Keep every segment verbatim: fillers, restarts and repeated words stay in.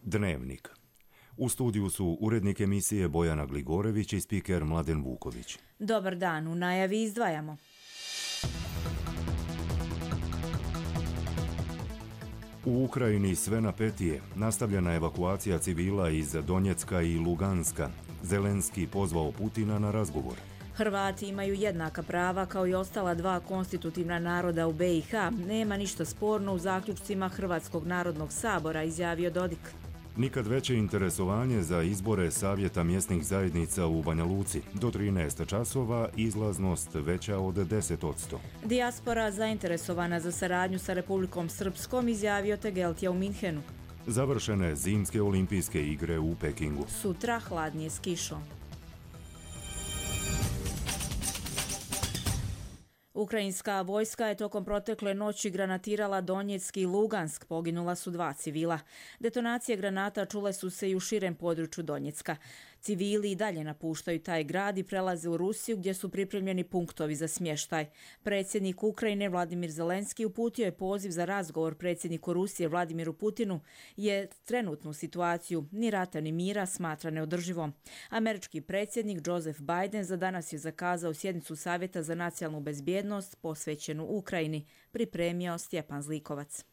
Dnevnik. U studiju su urednik emisije Bojana Gligorević i spiker Mladen Vuković. Dobar dan, u najavi izdvajamo. U Ukrajini sve napetije. Nastavljena evakuacija civila iz Donjecka i Luganska. Zelenski pozvao Putina na razgovor. Hrvati imaju jednaka prava kao i ostala dva konstitutivna naroda u be i ha. Nema ništa sporno u zaključcima Hrvatskog narodnog sabora, izjavio Dodik. Nikad veće interesovanje za izbore savjeta mjesnih zajednica u Banja Luci. Do trinaest časova izlaznost veća od deset posto. Dijaspora zainteresovana za saradnju sa Republikom Srpskom, izjavio Tegeltija u Minhenu. Završene zimske olimpijske igre u Pekingu. Sutra hladnije s kišom. Ukrajinska vojska je tokom protekle noći granatirala Donjeck i Lugansk, poginula su dva civila. Detonacije granata čule su se i u širem području Donjecka. Civili i dalje napuštaju taj grad i prelaze u Rusiju gdje su pripremljeni punktovi za smještaj. Predsjednik Ukrajine Vladimir Zelenski uputio je poziv za razgovor predsjedniku Rusije Vladimiru Putinu, je trenutnu situaciju ni rata ni mira smatra neodrživom. Američki predsjednik Joseph Biden za danas je zakazao sjednicu Savjeta za nacionalnu bezbjednost posvećenu Ukrajini, pripremio Stjepan Zlikovac.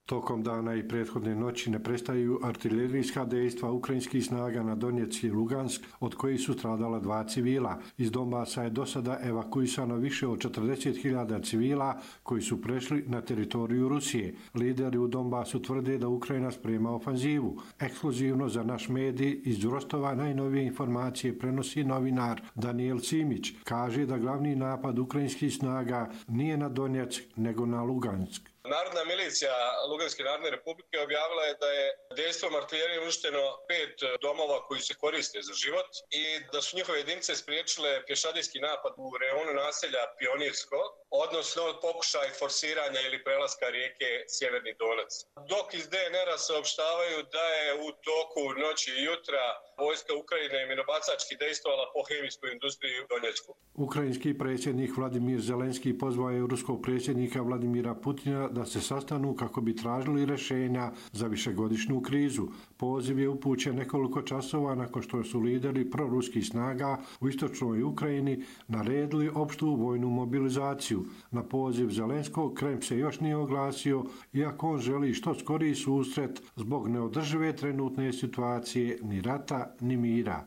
Tokom dana i prethodne noći ne prestaju artiljerijska dejstva ukrajinskih snaga na Donjeck i Lugansk, od kojih su stradala dva civila. Iz Donbasa je do sada evakuisano više od četrdeset hiljada civila koji su prešli na teritoriju Rusije. Lideri u Donbasu tvrde da Ukrajina sprema ofanzivu. Ekskluzivno za naš medij iz Rostova najnovije informacije prenosi novinar Daniel Simić. Kaže da glavni napad ukrajinskih snaga nije na Donjeck nego na Lugansk. Narodna milicija Luganske narodne republike objavila je da je dejstvom artiljerije uništeno pet domova koji se koriste za život i da su njihove jedinice spriječile pješadijski napad u rejonu naselja Pionirsko, odnosno pokušaj forsiranja ili prelaska rijeke Sjeverni Donac. Dok iz de en era saopštavaju da je u toku noći i jutra vojska Ukrajine minobacački dejstvovala po hemijskoj industriji u Donjecku. Ukrajinski predsjednik Vladimir Zelenski pozvao je ruskog predsjednika Vladimira Putina da se sastanu kako bi tražili rješenja za višegodišnju krizu. Poziv je upućen nekoliko časova nakon što su lideri proruskih snaga u istočnoj Ukrajini naredili opštu vojnu mobilizaciju. Na poziv Zelenskog Kreml se još nije oglasio, iako on želi što skoriji susret zbog neodržive trenutne situacije ni rata ni mira.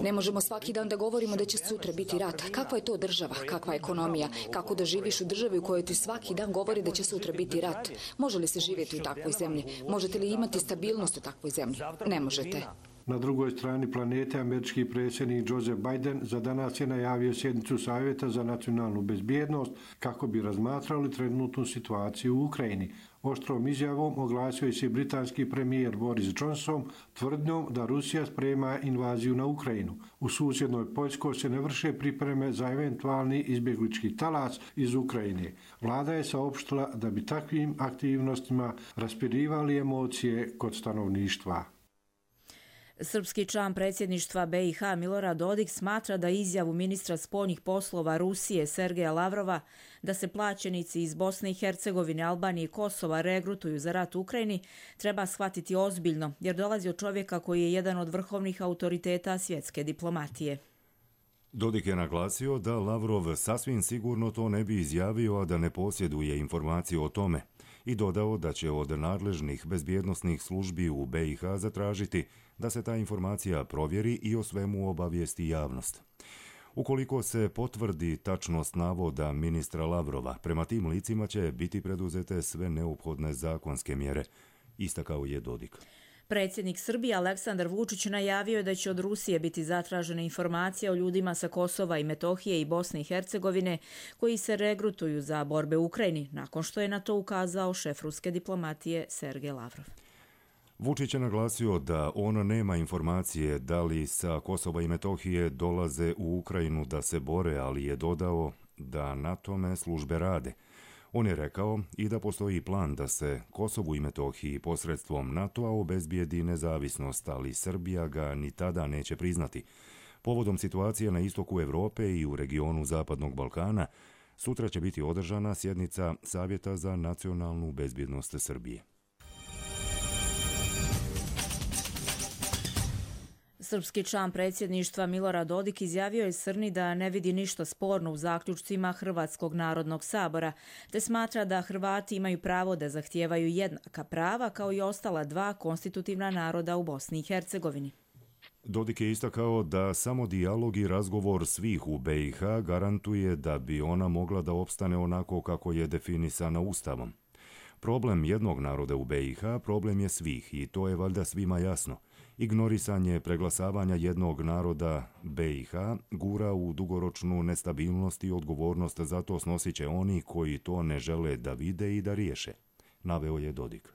Ne možemo svaki dan da govorimo da će sutra biti rat. Kakva je to država? Kakva je ekonomija? Kako da živiš u državi u kojoj ti svaki dan govori da će sutra biti rat? Može li se živjeti u takvoj zemlji? Možete li imati stabilnost u takvoj zemlji? Ne možete. Na drugoj strani planete američki predsjednik Joseph Biden za danas je najavio sjednicu Savjeta za nacionalnu bezbjednost kako bi razmatrali trenutnu situaciju u Ukrajini. Oštrom izjavom oglasio se britanski premijer Boris Johnson tvrdnjom da Rusija sprema invaziju na Ukrajinu. U susjednoj Poljskoj se ne vrše pripreme za eventualni izbjeglički talas iz Ukrajine. Vlada je saopštila da bi takvim aktivnostima raspirivali emocije kod stanovništva. Srpski član predsjedništva be i ha Milorad Dodik smatra da izjavu ministra spoljnih poslova Rusije Sergeja Lavrova da se plaćenici iz Bosne i Hercegovine, Albanije i Kosova regrutuju za rat u Ukrajini treba shvatiti ozbiljno, jer dolazi od čovjeka koji je jedan od vrhovnih autoriteta svjetske diplomatije. Dodik je naglasio da Lavrov sasvim sigurno to ne bi izjavio, a da ne posjeduje informaciju o tome, i dodao da će od nadležnih bezbjednosnih službi u be i ha zatražiti da se ta informacija provjeri i o svemu obavijesti javnost. Ukoliko se potvrdi tačnost navoda ministra Lavrova, prema tim licima će biti preduzete sve neophodne zakonske mjere, istakao je Dodik. Predsjednik Srbije Aleksandar Vučić najavio je da će od Rusije biti zatražene informacije o ljudima sa Kosova i Metohije i Bosne i Hercegovine koji se regrutuju za borbe u Ukrajini, nakon što je na to ukazao šef ruske diplomatije Sergej Lavrov. Vučić je naglasio da on nema informacije da li sa Kosova i Metohije dolaze u Ukrajinu da se bore, ali je dodao da na tome službe rade. On je rekao i da postoji plan da se Kosovu i Metohiji posredstvom NATO-a obezbijedi nezavisnost, ali Srbija ga ni tada neće priznati. Povodom situacije na istoku Europe i u regionu Zapadnog Balkana, sutra će biti održana sjednica Savjeta za nacionalnu bezbjednost Srbije. Srpski član predsjedništva Milorad Dodik izjavio je Srni da ne vidi ništa sporno u zaključcima Hrvatskog narodnog sabora, te smatra da Hrvati imaju pravo da zahtijevaju jednaka prava kao i ostala dva konstitutivna naroda u Bosni i Hercegovini. Dodik je istakao da samo dijalog i razgovor svih u be i ha garantuje da bi ona mogla da opstane onako kako je definisana Ustavom. Problem jednog naroda u be i ha problem je svih i to je valjda svima jasno. Ignorisanje preglasavanja jednog naroda be i ha gura u dugoročnu nestabilnost i odgovornost, zato snosit će oni koji to ne žele da vide i da riješe, naveo je Dodik.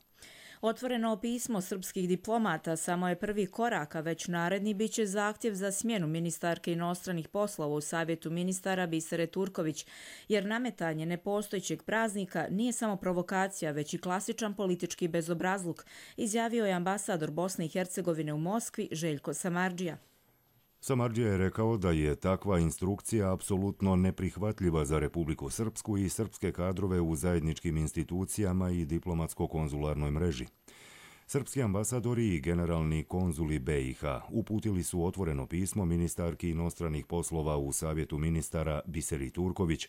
Otvoreno pismo srpskih diplomata samo je prvi korak, a već naredni bit će zahtjev za smjenu ministarke inostranih poslova u Savjetu ministara Bisere Turković, jer nametanje nepostojećeg praznika nije samo provokacija, već i klasičan politički bezobrazluk, izjavio je ambasador Bosne i Hercegovine u Moskvi Željko Samardžija. Samardžija je rekao da je takva instrukcija apsolutno neprihvatljiva za Republiku Srpsku i srpske kadrove u zajedničkim institucijama i diplomatsko-konzularnoj mreži. Srpski ambasadori i generalni konzuli be i ha uputili su otvoreno pismo ministarki inostranih poslova u Savjetu ministara Biseri Turković,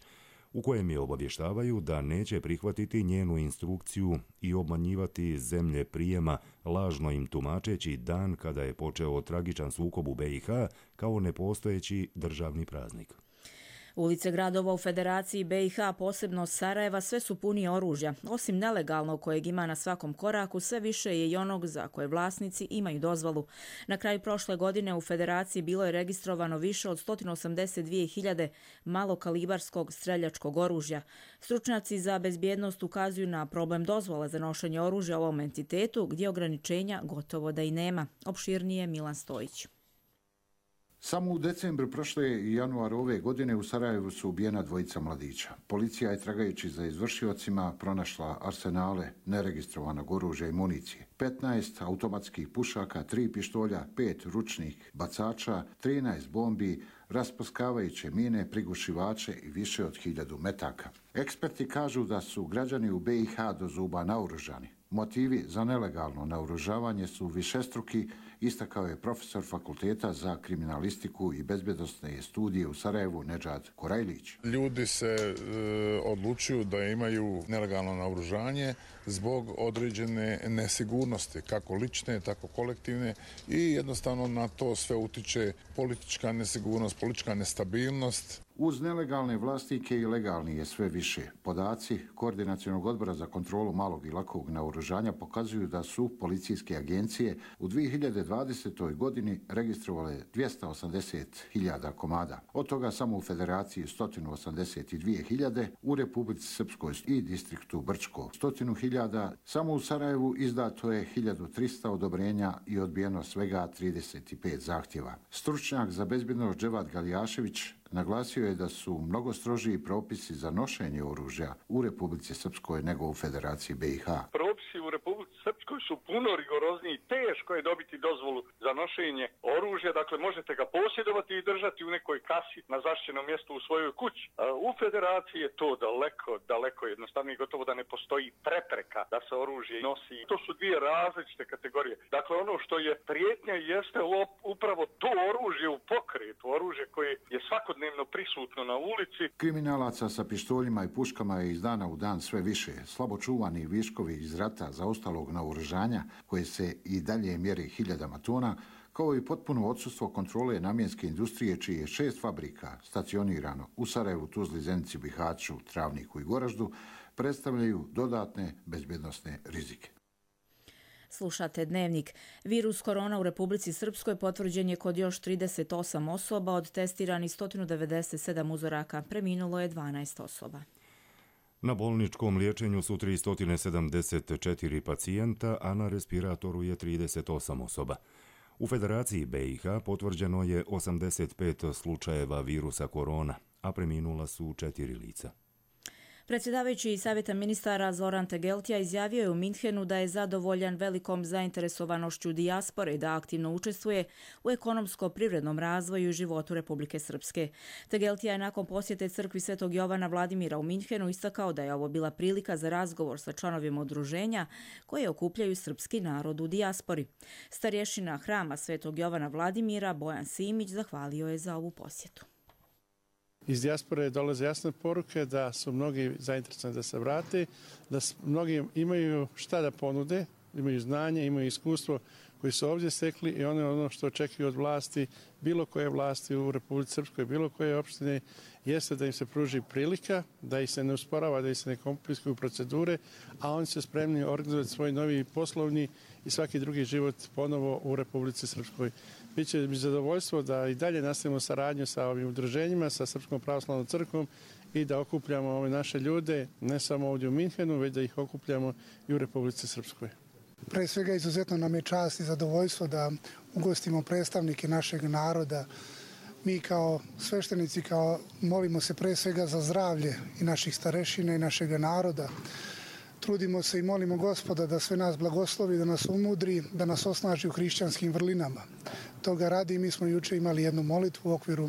u kojem je obavještavaju da neće prihvatiti njenu instrukciju i obmanjivati zemlje prijema, lažno im tumačeći dan kada je počeo tragičan sukob u be i ha kao nepostojeći državni praznik. Ulice gradova u Federaciji be i ha, posebno Sarajeva, sve su puni oružja. Osim nelegalnog kojeg ima na svakom koraku, sve više je i onog za koje vlasnici imaju dozvolu. Na kraju prošle godine u Federaciji bilo je registrovano više od sto osamdeset dvije hiljade malokalibarskog streljačkog oružja. Stručnjaci za bezbjednost ukazuju na problem dozvola za nošenje oružja u ovom entitetu, gdje ograničenja gotovo da i nema. Opširnije Milan Stojić. Samo u decembru prošle i januaru ove godine u Sarajevu su ubijena dvojica mladića. Policija je, tragajući za izvršiocima, pronašla arsenale neregistrovanog oružja i municije. petnaest automatskih pušaka, tri pištolja, pet ručnih bacača, trinaest bombi, rasprskavajuće mine, prigušivače i više od hiljadu metaka. Eksperti kažu da su građani u be i ha do zuba naoružani. Motivi za nelegalno naoružavanje su višestruki, istakao je profesor Fakulteta za kriminalistiku i bezbjednosne studije u Sarajevu Nedžad Korajlić. Ljudi se e, odlučuju da imaju nelegalno naoružanje zbog određene nesigurnosti, kako lične, tako kolektivne, i jednostavno na to sve utiče politička nesigurnost, politička nestabilnost. Uz nelegalne vlasnike i legalni je sve više. Podaci Koordinacionog odbora za kontrolu malog i lakog naoružanja pokazuju da su policijske agencije u dvije hiljade dvadesetoj godini registrovale dvjesto osamdeset hiljada komada. Od toga samo u Federaciji sto osamdeset dvije hiljade, u Republici Srpskoj i distriktu Brčko sto hiljada, samo u Sarajevu izdato je hiljadu trista odobrenja i odbijeno svega trideset pet zahtjeva. Stručnjak za bezbjednost Dževad Galijašević naglasio je da su mnogo strožiji propisi za nošenje oružja u Republici Srpskoj nego u Federaciji be i ha. Propisi u Republici Srpskoj su puno rigorozniji, teško je dobiti dozvolu za nošenje oružja, dakle možete ga posjedovati i držati u nekoj kasi na zaštićenom mjestu u svojoj kući. U Federaciji je to daleko, daleko jednostavnije, gotovo da ne postoji prepreka da se oružje nosi. To su dvije različite kategorije. Dakle, ono što je prijetnja jeste upravo to oružje u pokretu, oružje koje je svakodnevno prisutno na ulici. Kriminalaca sa pištoljima i puškama je iz dana u dan sve više. Slabo čuvani viškovi iz rata zaostalog naoružanja, koje se i dalje mjeri hiljadama tona, kao i potpuno odsustvo kontrole namjenske industrije, čiji je šest fabrika stacionirano u Sarajevu, Tuzli, Zenici, Bihaću, Travniku i Goraždu, predstavljaju dodatne bezbjednosne rizike. Slušate Dnevnik. Virus korona u Republici Srpskoj potvrđen je kod još trideset osam osoba, od testiranih sto devedeset sedam uzoraka. Preminulo je dvanaest osoba. Na bolničkom liječenju su tristo sedamdeset četiri pacijenta, a na respiratoru je trideset osam osoba. U Federaciji be i ha potvrđeno je osamdeset pet slučajeva virusa korona, a preminula su četiri lica. Predsjedavajući Savjeta ministara Zoran Tegeltija izjavio je u Minhenu da je zadovoljan velikom zainteresovanošću dijaspore da aktivno učestvuje u ekonomsko-privrednom razvoju i životu Republike Srpske. Tegeltija je nakon posjete crkvi Svetog Jovana Vladimira u Minhenu istakao da je ovo bila prilika za razgovor sa članovima udruženja koje okupljaju srpski narod u dijaspori. Starješina hrama Svetog Jovana Vladimira Bojan Simić zahvalio je za ovu posjetu. Iz dijaspore dolaze jasne poruke da su mnogi zainteresovani da se vrate, da mnogi imaju šta da ponude, imaju znanje, imaju iskustvo koji su ovdje stekli i ono, ono što očekuju od vlasti, bilo koje vlasti u Republici Srpskoj, bilo koje opštine, jeste da im se pruži prilika, da ih se ne usporava, da ih se ne komplikuju procedure, a oni su spremni organizovati svoj novi poslovni i svaki drugi život ponovo u Republici Srpskoj. Biće mi zadovoljstvo da i dalje nastavimo saradnju sa ovim udruženjima, sa Srpskom pravoslavnom crkvom i da okupljamo ove naše ljude, ne samo ovdje u Minhenu, već da ih okupljamo i u Republici Srpskoj. Pre svega izuzetno nam je čast i zadovoljstvo da ugostimo predstavnike našeg naroda. Mi kao sveštenici kao molimo se pre svega za zdravlje i naših starešina i našeg naroda. Trudimo se i molimo Gospoda da sve nas blagoslovi, da nas umudri, da nas osnaži u hrišćanskim vrlinama. Toga radi mi smo juče imali jednu molitvu u okviru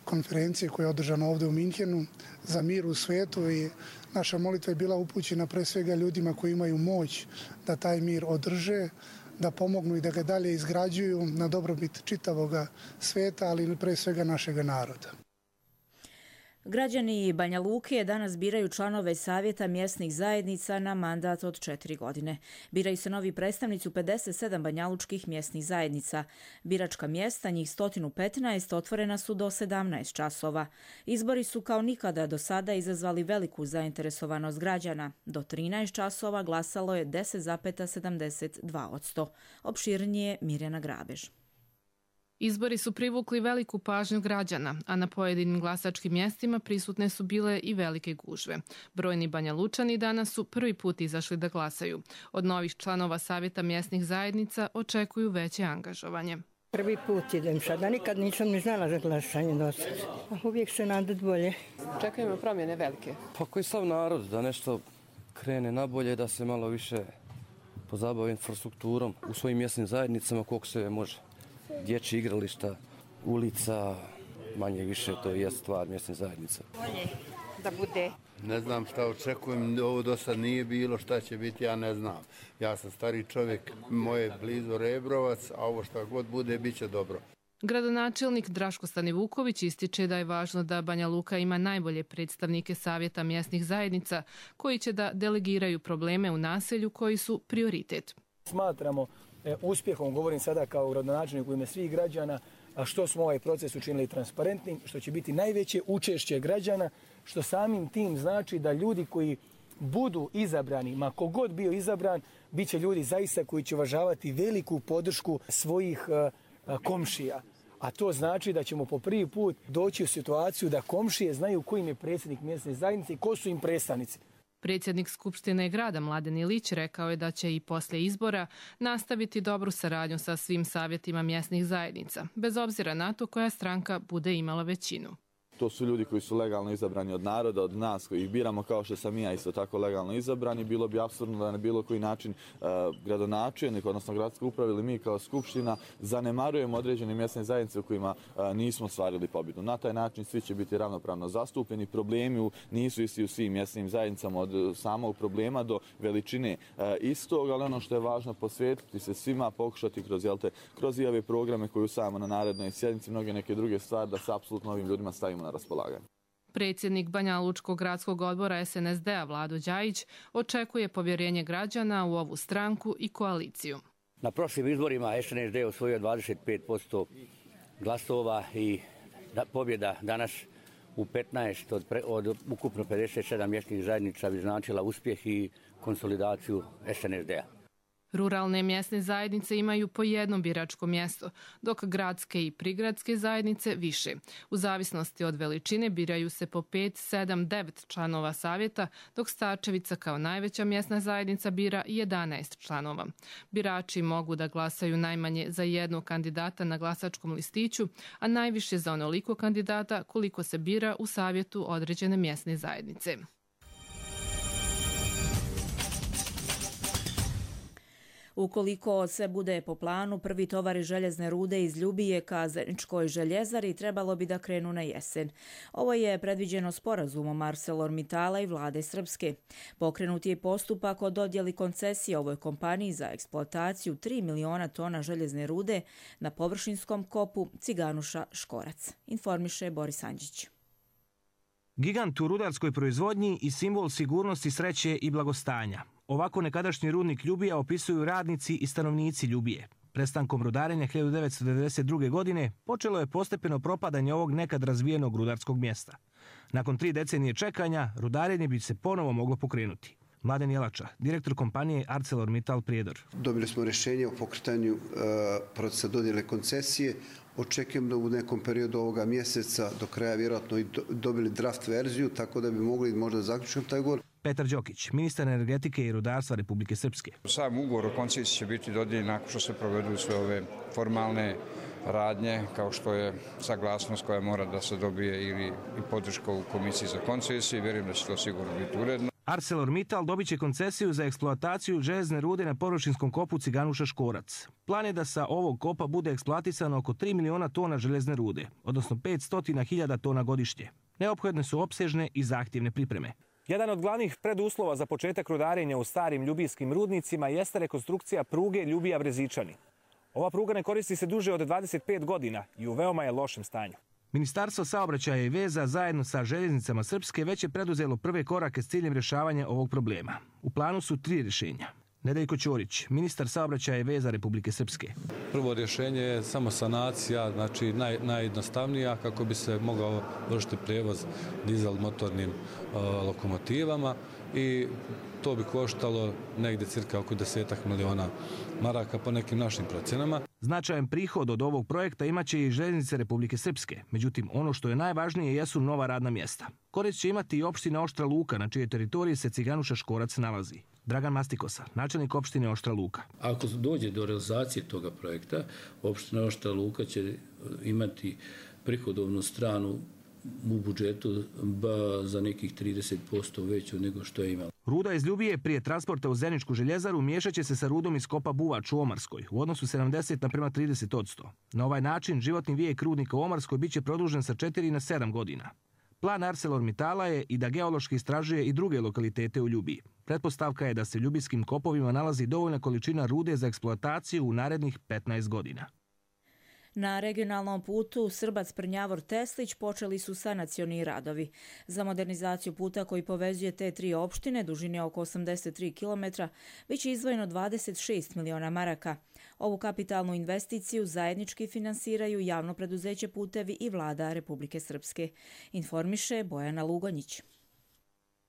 konferencije koja je održana ovdje u Minhenu za mir u svetu i naša molitva je bila upućena pre svega ljudima koji imaju moć da taj mir održe, da pomognu i da ga dalje izgrađuju na dobrobit čitavoga sveta, ali pre svega našega naroda. Građani Banja Luke danas biraju članove Savjeta mjesnih zajednica na mandat od četiri godine. Biraju se novi predstavnici u pedeset sedam banjalučkih mjesnih zajednica. Biračka mjesta, njih sto petnaest, otvorena su do sedamnaest časova. Izbori su kao nikada do sada izazvali veliku zainteresovanost građana. Do trinaest časova glasalo je deset zarez sedamdeset dva posto. Opširnije Mirjana Grabež. Izbori su privukli veliku pažnju građana, a na pojedinim glasačkim mjestima prisutne su bile i velike gužve. Brojni Banjalučani danas su prvi put izašli da glasaju. Od novih članova Savjeta mjesnih zajednica očekuju veće angažovanje. Prvi put idem sada, nikad nisam ni znala za glasanje do sada. Uvijek se nadat bolje. Očekujemo promjene velike. Pa koji sav narod da nešto krene na bolje, da se malo više pozabavi infrastrukturom u svojim mjesnim zajednicama koliko se može. Dječji igrališta, ulica, manje više to je stvar mjesne zajednice. Bolje da bude. Ne znam šta očekujem, ovo do sad nije bilo, šta će biti, ja ne znam. Ja sam stari čovjek, moje blizu Rebrovac, a ovo šta god bude, bit će dobro. Gradonačelnik Draško Stanivuković ističe da je važno da Banja Luka ima najbolje predstavnike Savjeta mjesnih zajednica koji će da delegiraju probleme u naselju koji su prioritet. Smatramo E, uspjehom, govorim sada kao gradonačelnik u ime svih građana, a što smo ovaj proces učinili transparentnim, što će biti najveće učešće građana, što samim tim znači da ljudi koji budu izabrani, ma kogod bio izabran, bit će ljudi zaista koji će uvažavati veliku podršku svojih uh, komšija. A to znači da ćemo po prvi put doći u situaciju da komšije znaju ko im je predsjednik mjesne zajednice i ko su im predstavnici. Predsjednik Skupštine grada Mladen Ilić rekao je da će i poslije izbora nastaviti dobru saradnju sa svim savjetima mjesnih zajednica, bez obzira na to koja stranka bude imala većinu. To su ljudi koji su legalno izabrani od naroda, od nas koji ih biramo, kao što sam i ja isto tako legalno izabrani. Bilo bi apsurdno da na bilo koji način uh, gradonačelnik, odnosno gradska uprava ili mi kao skupština zanemarujemo određene mjesne zajednice u kojima uh, nismo ostvarili pobjedu. Na taj način svi će biti ravnopravno zastupljeni. Problemi nisu isti u svim mjesnim zajednicama, od samog problema do veličine uh, istog, ali ono što je važno posvetiti se svima, pokušati kroz, jelte, kroz i ove programe koje usvajamo na narednoj sjednici, mnoge neke druge stvari, da se apsolutno ovim ljudima stavimo na raspolaganje. Predsjednik Banjalučkog gradskog odbora es en es de a Vlado Đajić očekuje povjerenje građana u ovu stranku i koaliciju. Na prošlim izborima es en es de osvojio dvadeset pet posto glasova i da, pobjeda danas u petnaest od, pre, od ukupno pedeset sedam mjesnih zajednica bi značila uspjeh i konsolidaciju es en es de a. Ruralne mjesne zajednice imaju po jedno biračko mjesto, dok gradske i prigradske zajednice više. U zavisnosti od veličine biraju se po pet, sedam, devet članova savjeta, dok Starčevica kao najveća mjesna zajednica bira jedanaest članova. Birači mogu da glasaju najmanje za jednog kandidata na glasačkom listiću, a najviše za onoliko kandidata koliko se bira u savjetu određene mjesne zajednice. Ukoliko sve bude po planu, prvi tovari željezne rude iz Ljubije ka Zeničkoj željezari trebalo bi da krenu na jesen. Ovo je predviđeno sporazumom ArcelorMittala i vlade Srpske. Pokrenut je postupak o dodjeli koncesije ovoj kompaniji za eksploataciju tri miliona tona željezne rude na površinskom kopu Ciganuša Škorac, informiše Boris Andžić. Gigant u rudarskoj proizvodnji i simbol sigurnosti, sreće i blagostanja. Ovako nekadašnji rudnik Ljubija opisuju radnici i stanovnici Ljubije. Prestankom rudarenja hiljadu devetsto devedeset druge. godine počelo je postepeno propadanje ovog nekad razvijenog rudarskog mjesta. Nakon tri decenije čekanja, rudarenje bi se ponovo moglo pokrenuti. Mladen Jelača, direktor kompanije ArcelorMittal Prijedor. Dobili smo rješenje o pokretanju uh, procesa dodjele koncesije. Očekujem da u nekom periodu ovoga mjeseca do kraja vjerojatno i dobili draft verziju, tako da bi mogli možda zaključiti taj ugovor. Petar Đokić, ministar energetike i rudarstva Republike Srpske. Sam ugovor o koncesiji će biti dodijeljen nakon što se provedu sve ove formalne radnje, kao što je saglasnost koja mora da se dobije ili i podrška u komisiji za koncesiju. Vjerujem da će to sigurno biti uredno. ArcelorMittal dobit će koncesiju za eksploataciju željezne rude na površinskom kopu Ciganuša Škorac. Plan je da sa ovog kopa bude eksploatisano oko tri miliona tona željezne rude, odnosno petsto hiljada tona godišnje. Neophodne su opsežne i zahtjevne pripreme. Jedan od glavnih preduslova za početak rudarenja u starim ljubijskim rudnicima jeste rekonstrukcija pruge Ljubija-Brezičani. Ova pruga ne koristi se duže od dvadeset pet godina i u veoma je lošem stanju. Ministarstvo saobraćaja i veza zajedno sa željeznicama Srpske već je preduzelo prve korake s ciljem rješavanja ovog problema. U planu su tri rješenja. Nedeljko Ćorić, ministar saobraćaja i veza Republike Srpske. Prvo rješenje je samo sanacija, znači naj, najjednostavnija kako bi se mogao vršiti prijevoz dizel motornim uh, lokomotivama i to bi koštalo negdje cirka oko desetak miliona maraka po nekim našim procjenama. Značajan prihod od ovog projekta imaće i željeznice Republike Srpske. Međutim, ono što je najvažnije jesu nova radna mjesta. Korist će imati i opština Oštra Luka, na čijoj teritoriji se Ciganuša Škorac nalazi. Dragan Mastikosa, načelnik opštine Oštra Luka. Ako dođe do realizacije toga projekta, opština Oštra Luka će imati prihodovnu stranu u budžetu za nekih trideset posto veću nego što je imala. Ruda iz Ljubije prije transporta u Zeničku željezaru miješat će se sa rudom iz kopa Buvač u Omarskoj u odnosu sedamdeset naprema trideset odsto. Na ovaj način životni vijek rudnika u Omarskoj biće produžen sa četiri na sedam godina. Plan ArcelorMittala je i da geološki istražuje i druge lokalitete u Ljubiji. Pretpostavka je da se u ljubijskim kopovima nalazi dovoljna količina rude za eksploataciju u narednih petnaest godina. Na regionalnom putu Srbac-Prnjavor-Teslić počeli su sanacioni radovi. Za modernizaciju puta koji povezuje te tri opštine, dužine oko osamdeset tri kilometra, biće izdvojeno dvadeset šest miliona maraka. Ovu kapitalnu investiciju zajednički finansiraju javno preduzeće Putevi i vlada Republike Srpske, informiše Bojana Lugonjić.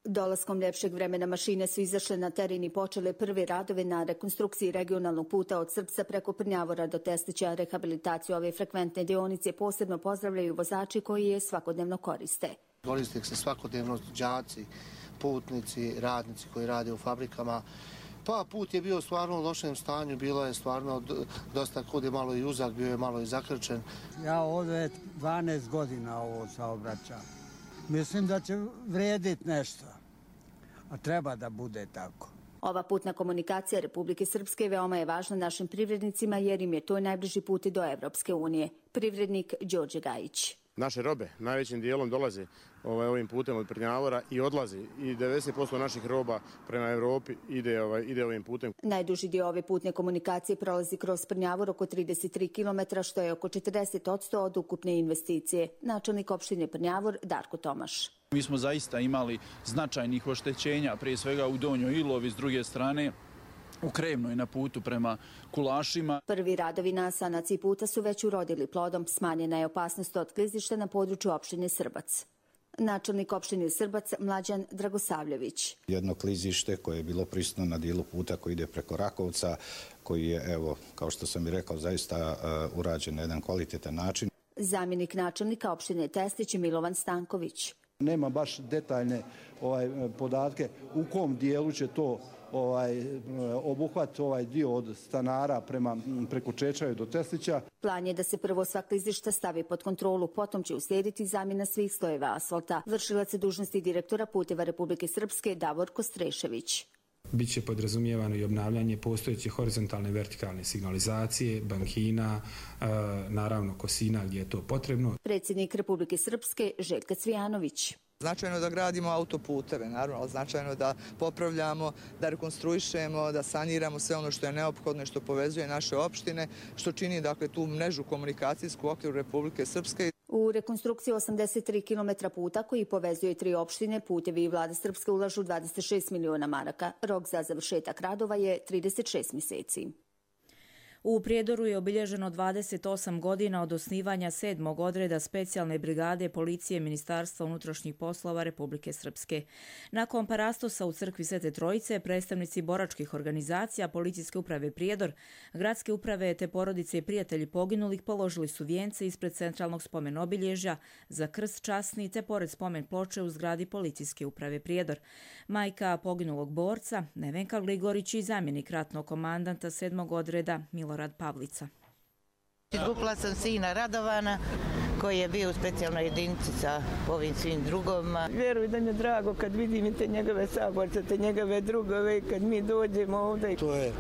Dolaskom ljepšeg vremena mašine su izašle na teren i počele prve radove na rekonstrukciji regionalnog puta od Srpca preko Prnjavora do Teslića. Rehabilitaciju ove frekventne deonice posebno pozdravljaju vozači koji je svakodnevno koriste. Koriste se svakodnevno đaci, putnici, radnici koji rade u fabrikama. Pa put je bio stvarno u lošem stanju, bilo je stvarno dosta kud je malo i uzak, bio je malo i zakrčen. Ja ovdje dvanaest godina ovo saobraćam. Mislim da će vrijediti nešto, a treba da bude tako. Ova putna komunikacija Republike Srpske veoma je važna našim privrednicima jer im je to najbliži put do Evropske unije. Privrednik Đorđe Gajić. Naše robe najvećim dijelom dolaze ovaj, ovim putem od Prnjavora i odlazi. I devedeset posto naših roba prema Evropi ide, ovaj, ide ovim putem. Najduži dio ove putne komunikacije prolazi kroz Prnjavor oko trideset tri kilometra, što je oko četrdeset odsto od ukupne investicije. Načelnik opštine Prnjavor Darko Tomaš. Mi smo zaista imali značajnih oštećenja, prije svega u Donjoj Ilovi, s druge strane u Krevnoj na putu prema Kulašima. Prvi radovi na sanaciji puta su već urodili plodom. Smanjena je opasnost od klizišta na području opštine Srbac. Načelnik opštine Srbac Mlađan Dragosavljević. Jedno klizište koje je bilo prisutno na dijelu puta koji ide preko Rakovca, koji je, evo, kao što sam i rekao, zaista uh, urađen na jedan kvalitetan način. Zamjenik načelnika opštine Teslić Milovan Stanković. Nema baš detaljne ovaj, podatke u kom dijelu će to ovaj, obuhvat ovaj dio od stanara prema, preko Čečaju do Teslića. Plan je da se prvo sva klizišta stavi pod kontrolu, potom će uslijediti zamjena svih slojeva asfalta. Vršilac dužnosti direktora Puteva Republike Srpske Davor Kostrešević. Biće podrazumijevano i obnavljanje postojeće horizontalne i vertikalne signalizacije, bankina, naravno kosina gdje je to potrebno. Predsjednik Republike Srpske Željko Cvijanović. Značajno da gradimo autoputeve, naravno, značajno da popravljamo, da rekonstruišemo, da saniramo sve ono što je neophodno i što povezuje naše opštine, što čini dakle tu mrežu komunikacijsku u okviru Republike Srpske. U rekonstrukciju osamdeset tri kilometra puta koji povezuje tri opštine, Putevi i Vlada Srpske ulažu dvadeset šest miliona maraka. Rok za završetak radova je trideset šest mjeseci. U Prijedoru je obilježeno dvadeset osam godina od osnivanja sedmog odreda specijalne brigade policije Ministarstva unutrašnjih poslova Republike Srpske. Nakon parastosa u crkvi Svete Trojice, predstavnici boračkih organizacija, policijske uprave Prijedor, gradske uprave te porodice i prijatelji poginulih položili su vijence ispred centralnog spomen obilježja za krst časni te pored spomen ploče u zgradi policijske uprave Prijedor. Majka poginulog borca, Nevenka Gligorić i zamjenik ratnog komandanta sedmog odreda Milo Rad Pavlica. Izgubila sam sina Radovana koji je bio u specijalnoj jedinici sa ovim svim drugovima. Vjeruj da mi je drago kad vidim te njegove saborce, te njegove drugove, kad mi dođemo ovdje. To je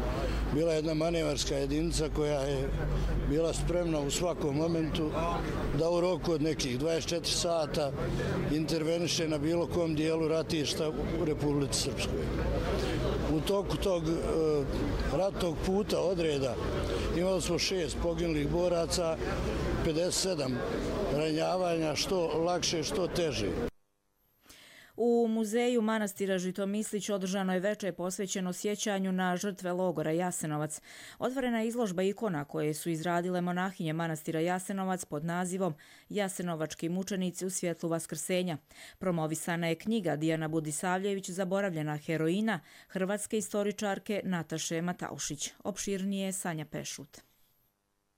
bila jedna manevarska jedinica koja je bila spremna u svakom momentu da u roku od nekih dvadeset četiri sata interveniše na bilo kom dijelu ratišta u Republici Srpskoj. U toku tog e, ratnog puta odreda imali smo šest poginulih boraca, pedeset sedam ranjavanja, što lakše, što teže. U muzeju manastira Žitomislić održano je veče posvećeno sjećanju na žrtve logora Jasenovac. Otvorena je izložba ikona koje su izradile monahinje manastira Jasenovac pod nazivom Jasenovački mučenici u svjetlu vaskrsenja. Promovisana je knjiga Dijana Budisavljević Zaboravljena heroina hrvatske istoričarke Nataše Mataušić. Opširnije Sanja Pešut.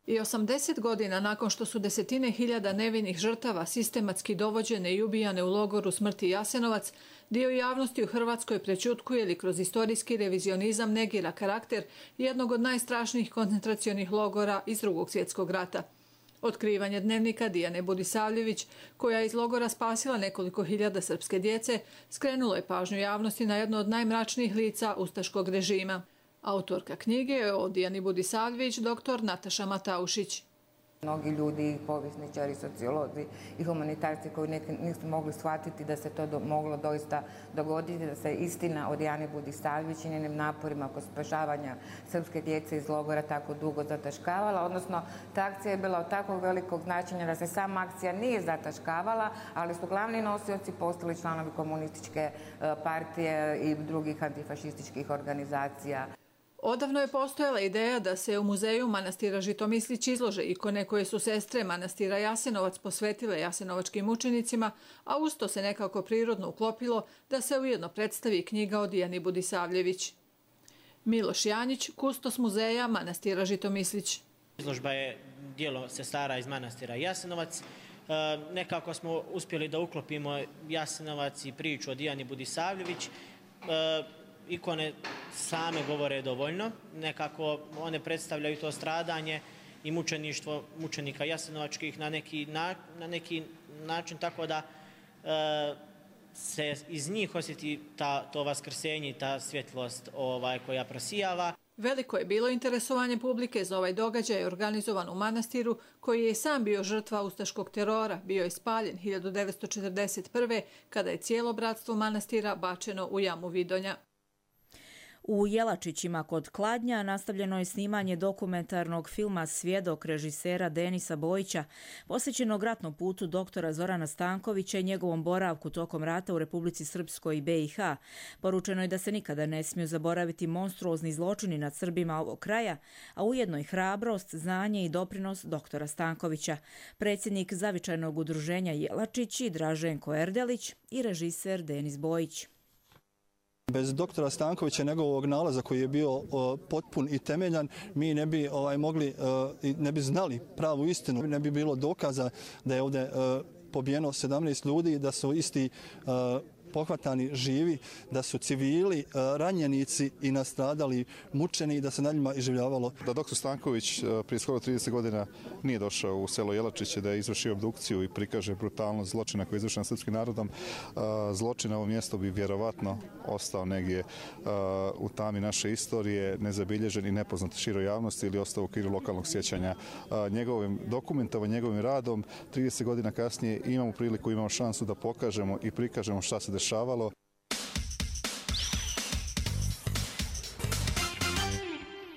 I osamdeset godina nakon što su desetine hiljada nevinih žrtava sistematski dovođene i ubijane u logoru smrti Jasenovac, dio javnosti u Hrvatskoj prećutkuje ili kroz istorijski revizionizam negira karakter jednog od najstrašnijih koncentracionih logora iz Drugog svjetskog rata. Otkrivanje dnevnika Dijane Budisavljević, koja je iz logora spasila nekoliko hiljada srpske djece, skrenulo je pažnju javnosti na jedno od najmračnijih lica ustaškog režima. Autorka knjige je o Dijani Budisavljević doktor Nataša Mataušić. Mnogi ljudi, povjesničari, sociolozi i humanitarci koji nisu mogli shvatiti da se to do, moglo doista dogoditi, da se istina o Dijani Budisavljević i njenim naporima oko spašavanja srpske djece iz logora tako dugo zataškavala, odnosno ta akcija je bila od takvog velikog značenja da se sama akcija nije zataškavala, ali su glavni nosioci postali članovi komunističke partije i drugih antifašističkih organizacija. Odavno je postojala ideja da se u muzeju manastira Žitomislić izlože ikone koje su sestre manastira Jasenovac posvetile jasenovačkim mučenicima, a usto se nekako prirodno uklopilo da se ujedno predstavi knjiga o Dijani Budisavljević. Miloš Janjić, kustos muzeja manastira Žitomislić. Izložba je dijelo sestara iz manastira Jasenovac. E, nekako smo uspjeli da uklopimo Jasenovac i priču o Dijani Budisavljević. E, Ikone same govore dovoljno, nekako one predstavljaju to stradanje i mučeništvo mučenika jasenovačkih na neki, na, na neki način, tako da e, se iz njih osjeti ta, to vaskrsenje i ta svjetlost ovaj, koja prosijava. Veliko je bilo interesovanje publike za ovaj događaj organizovan u manastiru, koji je sam bio žrtva ustaškog terora, bio je spaljen hiljadu devetsto četrdeset prve. kada je cijelo bratstvo manastira bačeno u jamu Vidonja. U Jelačićima kod Kladnja nastavljeno je snimanje dokumentarnog filma Svjedok režisera Denisa Bojića, posvećenog ratnom putu doktora Zorana Stankovića i njegovom boravku tokom rata u Republici Srpskoj i be i ha. Poručeno je da se nikada ne smiju zaboraviti monstruozni zločini nad Srbima ovog kraja, a ujedno i hrabrost, znanje i doprinos doktora Stankovića. Predsjednik zavičajnog udruženja Jelačići Draženko Erdelić i režiser Denis Bojić. Bez doktora Stankovića i njegovog nalaza koji je bio o, potpun i temeljan, mi ne bi ovaj, mogli, i ne bi znali pravu istinu, ne bi bilo dokaza da je ovdje pobijeno sedamnaest ljudi, da su isti pohvatani živi, da su civili, ranjenici i nastradali, mučeni i da se na njima iživljavalo. Da doktor Stanković prije skoro trideset godina nije došao u selo Jelačiće da je izvršio obdukciju i prikaže brutalnost zločina koji je izvršen srpskim narodom, zločin na ovom mjestu bi vjerovatno ostao negdje u tami naše istorije, nezabilježen i nepoznat široj javnosti ili ostao u okviru lokalnog sjećanja. Njegovim dokumentovanjem, njegovim radom, trideset godina kasnije imamo priliku, imamo šansu da pokažemo i prikažemo šta se dešavalo.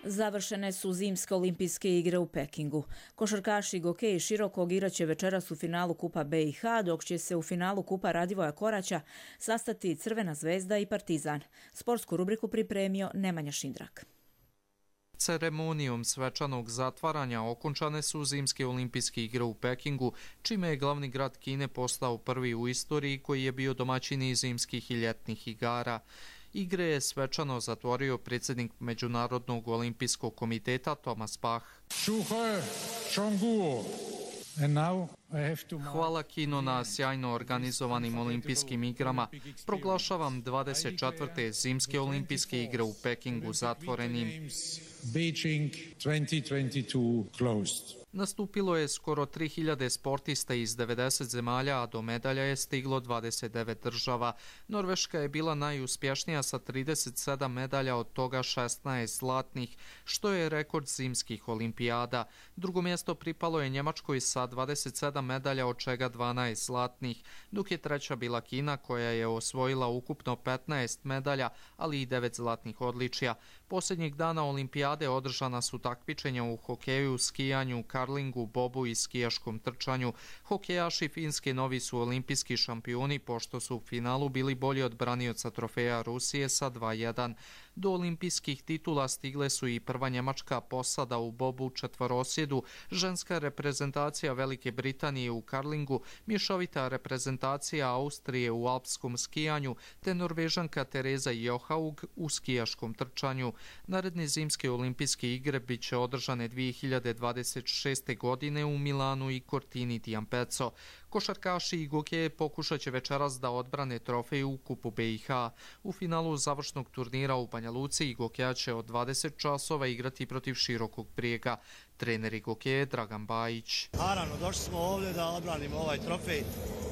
Završene su zimske olimpijske igre u Pekingu. Košarkaši Goke i Širokog igraće večeras u finalu Kupa B i H, dok će se u finalu Kupa Radivoja Koraća sastati Crvena zvezda i Partizan. Sportsku rubriku pripremio Nemanja Šindrak. Ceremonijom svečanog zatvaranja okončane su zimske olimpijske igre u Pekingu, čime je glavni grad Kine postao prvi u istoriji koji je bio domaćin i zimskih i ljetnih igara. Igre je svečano zatvorio predsjednik Međunarodnog olimpijskog komiteta Thomas Bach. Hvala Kino na sjajno organizovanim olimpijskim igrama. Proglašavam dvadeset četvrte zimske olimpijske igre u Pekingu zatvorenim. Nastupilo je skoro tri hiljade sportista iz devedeset zemalja, a do medalja je stiglo dvadeset devet država. Norveška je bila najuspješnija sa trideset sedam medalja, od toga šesnaest zlatnih, što je rekord zimskih olimpijada. Drugo mjesto pripalo je Njemačkoj sa dvadeset sedam medalja, od čega dvanaest zlatnih, dok je treća bila Kina koja je osvojila ukupno petnaest medalja, ali i devet zlatnih odličja. Posljednjeg dana olimpijade održana su takmičenja u hokeju, skijanju, karlingu, bobu i skijaškom trčanju. Hokejaši Finske novi su olimpijski šampioni, pošto su u finalu bili bolji od branioca trofeja Rusije sa dva jedan. Do olimpijskih titula stigle su i prva njemačka posada u bobu četvorosjedu, ženska reprezentacija Velike Britanije u karlingu, mješovita reprezentacija Austrije u alpskom skijanju, te Norvežanka Tereza Johaug u skijaškom trčanju. Naredne zimske olimpijske igre bit će održane dvije hiljade dvadeset šeste. godine u Milanu i Cortini d'Ampezzo. Košarkaši i Goke pokušat će večeras da odbrane trofej u Kupu B i H. U finalu završnog turnira u Banja Luci Gokeja će od dvadeset časova igrati protiv Širokog Brijega. Trener Goke Dragan Bajić. Naravno, došli smo ovdje da odbranimo ovaj trofej.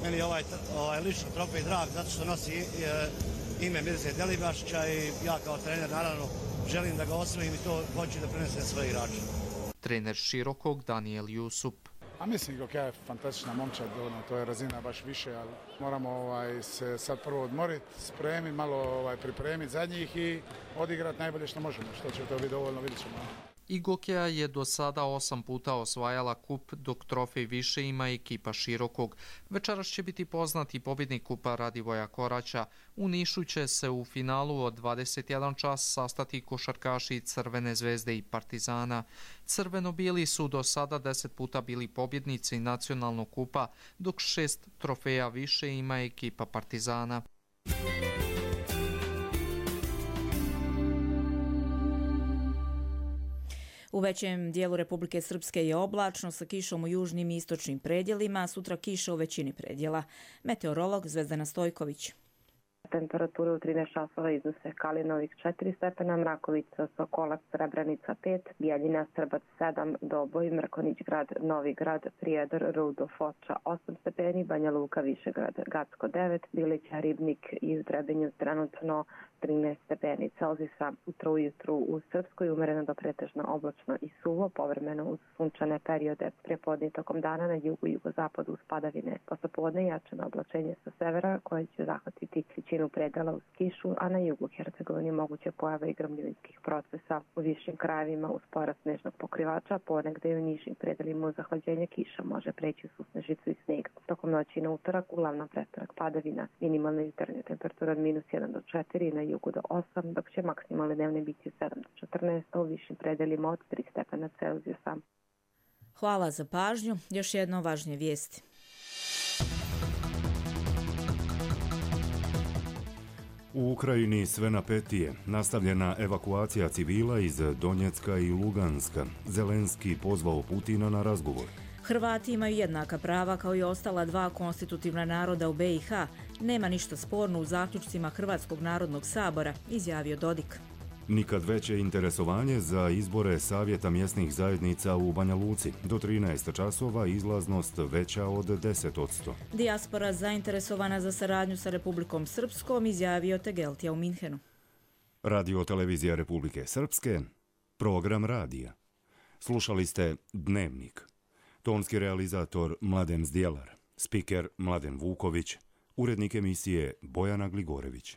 Meni je ovaj, ovaj lično trofej drag zato što nosi e, ime Mirze Delibašića i ja kao trener naravno želim da ga osvojim i to hoću da prenesem svoje igrače. Trener Širokog Daniel Jusup. A mislim, Gokeja je fantastična momčad, ono, to je razina baš više, ali moramo ovaj, se sad prvo odmoriti, spremiti, malo ovaj, pripremiti za njih i odigrati najbolje što možemo, što će to biti dovoljno, vidjet ćemo. I Gokeja je do sada osam puta osvajala kup, dok trofej više ima ekipa Širokog. Večeras će biti poznati pobjednik Kupa Radivoja Koraća. U Nišu će se u finalu od dvadeset jedan čas sastati košarkaši Crvene zvezde i Partizana. Crveno-bijeli su do sada deset puta bili pobjednici nacionalnog kupa, dok šest trofeja više ima ekipa Partizana. U većem dijelu Republike Srpske je oblačno sa kišom u južnim i istočnim predjelima, sutra kiša u većini predjela. Meteorolog Zvezdana Stojković. Temperature u trinaest časova iznose Kalinovik četiri stepena, Mrakovica, Sokolac, Srebrenica pet, Bijeljina, Srbac sedam, Doboj, Mrkonić grad, Novi grad, Prijedor, Rudo, Foča osam stepeni, Banja Luka, Višegrad, Gacko devet, Bilića, Ribnik i Zdrebinju trenutno trinaest stepeni Celzijusa. Utro ujutru u Srpskoj umereno do pretežno oblačno i suvo, povremeno uz sunčane periode. Prepodne tokom dana na jugu i jugozapadu uz padavine. Poslepodne jačano oblačenje sa severa koje će zahvatiti većinu predela uz kišu, a na jugu Hercegovini moguće pojave i gromljevinskih procesa. U višim krajevima uz porast snežnog pokrivača, ponegde i u nižim predelima uz zahlađenje kiša može preći u snežicu i sneg. Tokom noći na utorak uglavnom prestanak padavina. Minimalna jutarnja temperatura od minus jedan do četiri, na jugu do osam, dok će maksimalne dnevne biti sedam do četrnaest, a u višim predelima od tri stepena Celzijusa. Hvala za pažnju. Još jedno važnije vijesti. U Ukrajini sve napetije. Nastavljena evakuacija civila iz Donjecka i Luganska. Zelenski pozvao Putina na razgovor. Hrvati imaju jednaka prava kao i ostala dva konstitutivna naroda u B i H. Nema ništa sporno u zaključcima Hrvatskog narodnog sabora, izjavio Dodik. Nikad veće interesovanje za izbore Savjeta mjesnih zajednica u Banja Luci. Do trinaest časova izlaznost veća od deset posto. Dijaspora zainteresovana za saradnju sa Republikom Srpskom, izjavio Tegeltija u Minhenu. Radio televizija Republike Srpske, program radija. Slušali ste Dnevnik. Tonski realizator Mladen Zdjelar, spiker Mladen Vuković, urednik emisije Bojana Gligorević.